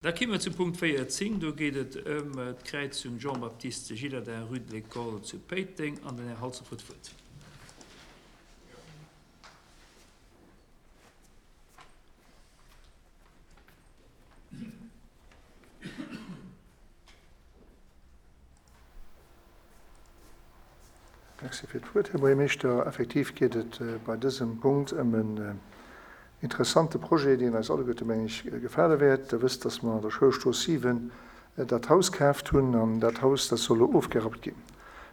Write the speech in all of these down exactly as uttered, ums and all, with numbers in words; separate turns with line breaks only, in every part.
Da komme mer zum Punkt véierzéng. Do geet et ëm d'Kräizung Jean-Baptiste Gillardin, rue de l'École zu Péiteng. An den Här Halsdorf huet d'Wuert.
Merci fir d'Wuert, Här Buergermeeschter. Effektiv geet et bei dësem Punkt ëm en interessante Projet, deen eis alleguerte, meng ech, gefale wäert. Der wësst, dass mer an der Schoulstrooss siwen dat Haus kaaft hunn, an dat Haus, dat soll elo ofgerappt ginn.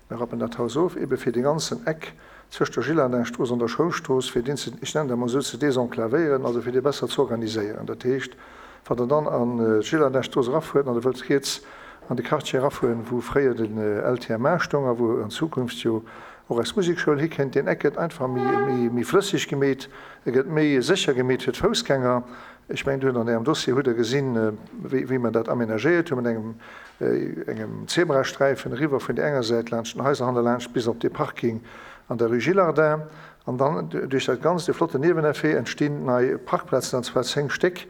Mir rappen dat Haus of, ebe fir dee ganzen Eck zwëscht der Gillardin-Strooss an der Schoulstrooss, fir deen ze, ech nennen dat emol esou, ze desenclavéieren, also fir dee besser ze organiséieren. Dat heescht, wann Der dann an d'Gillardin-Strooss erafuert an Der wëllt riets an de Quartier erafueren, wou fréier den L T M A stoung a wou an Zukunft jo och eis Musekschoul hikennt, deen Eck gëtt einfach méi, méi flësseg gemeet, e gëtt méi sécher gemeet fir d'Foussgänger. Ech mengen, do hutt an Ärem Dossier hutt Der gesinn, wéi, wéi mer dat amenagéiert hu mat engem, engem Zebrasträifen eriwwer vun där enger Säit laanscht den Haiser hannerlaanscht bis op dee Parking an der Rue Gillardin. An dann duerch dat Ganzt, dee flotten Nieweneffet, entstinn nei Parkplazen, an zwar zéng Stéck.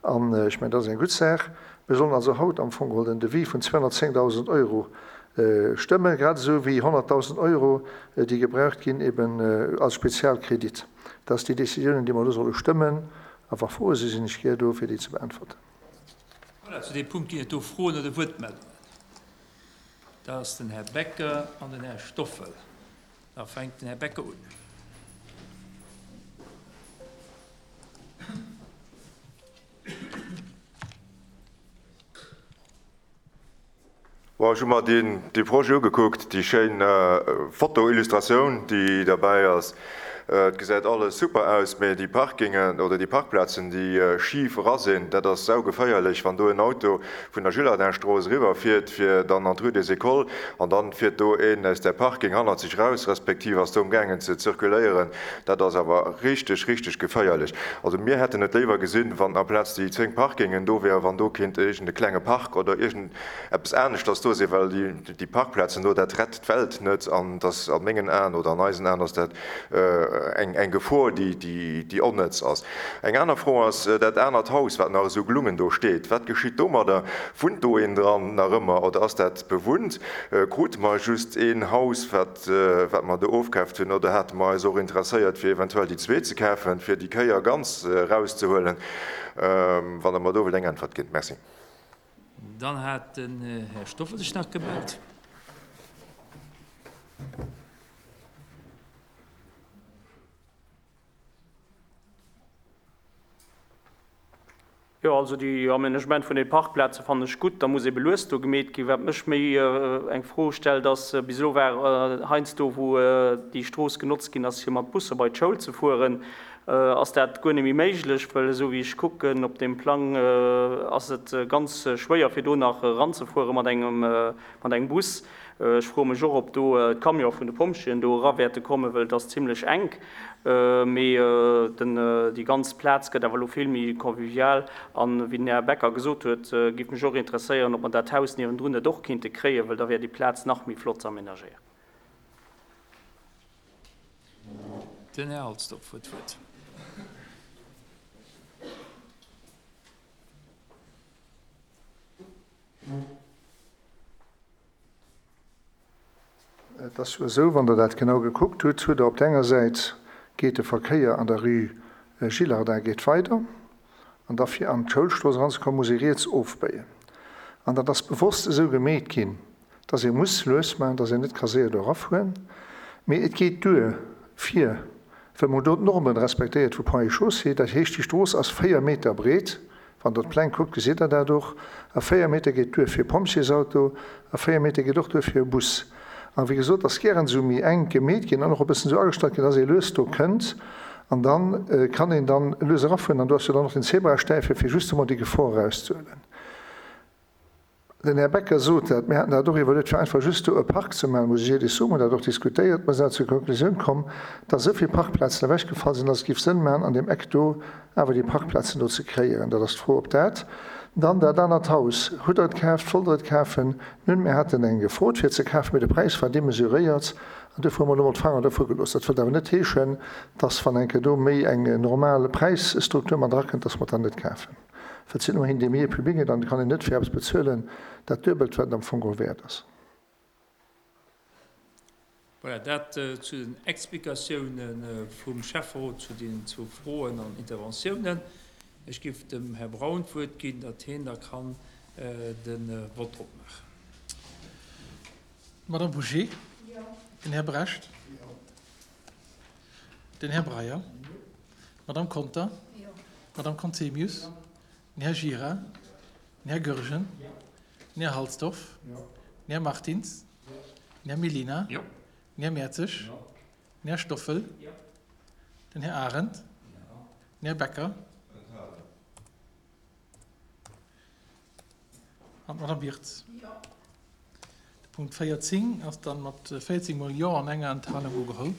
An ech mengen, dat ass eng gutt Saach. Mir sollen also haut am Fong geholl den Devis vun zweehonnertzéngdausend Euro stëmmen, grad esou wéi honnertdausend Euro, déi gebraucht ginn eben als Spezialkredit. Dat ass déi Décisionen, déi mer elo solle stëmmen. A wa Froe sinn, sinn ech gär do, fir déi ze beäntwerten.
Voilà, zu deem Punkt ginn et do Froen oder Wuertmeldungen. Dat ass den Här Becker an den Här Stoffel. Da fänkt den Här Becker un.
Bon, ech hu mer deen, dee Projet ugekuckt, déi schéin Foto-Illustratioun, déi derbäi ass. Et gesäit alles super aus, mä déi Parkingen oder déi Parkplazen, déi schif era sinn, dat ass saugeféierlech, wann do en Auto vun der Gillardin-Strooss eriwwerfiert, fir dann an d'Rue des Écoles, an dann fiert do een aus där Parking hannert sech raus, respektiv ass do amgaangen ze zirkuléieren. Dat ass awer richteg, richteg geféierlech. Also mir hätten et léiwer gesinn, wann amplaz déi zéng Parkingen do wären, wann do kéint iergend e klenge Park oder iergend eppes aneschters do sinn, well déi, déi Parkplazen do, dat rett d'Welt net, an dass a mengen Aen oder an eisen Aen ass dat eng, eng Gefor, déi, déi, déi onnëtz ass. Eng aner Fro ass dat anert Haus, wat nach esou gelungen do steet. Wat geschitt domadder? Wunnt do een dran nach ëmmer oder ass dat bewunnt? Krute mer just een Haus, wat, wat mer do ofkaaft hunn, oder hate mer eis och interesséiert, fir eventuell déi zwee ze kafen, fir déi Kéier ganz erauszehuelen? Wann Der mer do wëllt eng Äntwert ginn. Merci.
Dann hat den Här Stoffel sech nach gemellt.
Jo, also déi Aménagement vun de Parkplaze fannen ech gutt. Da muss ebe lues do gemeet ginn. Wat mech méi eng Fro stellt, ass, bis elo war heiansdo, wou déi Strooss genotzt ginn ass, fir mat Busser bei d'Schoul ze fueren, ass dat guer net méi méiglech, well esou wéi ech kucken op deem Plang, ass et ganz schwéier, fir do nach eranzefuere mat engem, mat engem Bus. Ech froe mech och, ob do d'Camione vun de Pompjeeën do era wäerte kommen, well et ass zimlech enk. Mee den, déi ganz Plaz gëtt awer elo vill méi convivial. An wéi den Här Becker gesot huet, géif mech och interesséieren, ob mer dat Haus niewendrun net och kéinte kréien, well da wär déi Plaz nach méi flott ze amenagéieren.
Den Här Halsdorf huet d'Wuert.
Et ass jo esou, wann Der dat genau gekuckt hutt, hutt Der op der enger Säit geet de Verkéier an der Rue Gillardin geet weider, an da fir an d'Schoulstrooss eranzekommen, muss ee riets ofbéien. An dat ass bewosst esou gemeet ginn, dass ee muss lues maachen, dass een net ka séier do erafueren. Mee et geet duer fir, well mer do d'Normen respektéiert vu Ponts et Chaussées, dat heescht, déi Strooss ass véier Meter breet, wann Der d'Pläng kuckt, gesitt Der dat och, a véier Meter geet duer fir e Pompjeesauto a véier Meter geet och duer fir e Bus. An wéi gesot, ass gären esou méi enk gemeet ginn an och e bëssen esou agestallt ginn, dass ee lues do kënnt an da kann een dann lues erafueren. An do ass jo dann och den Zebrastäife fir justement déi Gefor erauszehuelen. Den Här Becker sot dat, mir haten dat och iwwerluet, fir einfach just do e Park ze maachen, muss ech éierlech soen, mir hunn dat och diskutéiert, mer sinn awer zur Konklusioun komm, dass esou vill Parkplazen ewechgefall sinn, dass et géif Sënn maachen, an deem Eck do awer déi Parkplazen do ze kréieren. Dat ass d'Fro, ob dat dann dat anert Haus, hutt Der et kaaft, wollt Der et kafen? Nun, mir haten eng gefrot fir et ze kafen, mee de Präis war demesuréiert an duerfir hu mer elo mol d'Fanger dervu gelooss. Dat wëllt awer net heeschen, dass, wann eng Kéier do méi eng normal Präisstruktur mat erakënnt, dass mer et dann net kafen. Well et sinn ëmmerhin Demiers publics an et kann een net fir eppes bezuelen, dat duebelt, wat et am Fong geholl wäert ass.
Voilà, dat zu den Explikatioune vum Schäfferot zu deenen zwou Froen an Interventiounen. Ech géif dem Här Braun d'Wuert ginn, datt hien da kann de Vott opmaachen.
D'Madame Bouché? Den Här Brecht? Den Här Breyer? D'Madame Conter? D'Madame Conzemius? Den Här Gira? Den Här Goergen? Den Här Halsdorf? Den Här Martins? Den Här Mellina? Den Här Mertzig? Den Här Stoffel? Den Här Arendt? Den Här Becker? An d'Madame Birtz. De Punkt véierzéng ass dann mat véierzéng mol Jo an enger Enthalung ugeholl.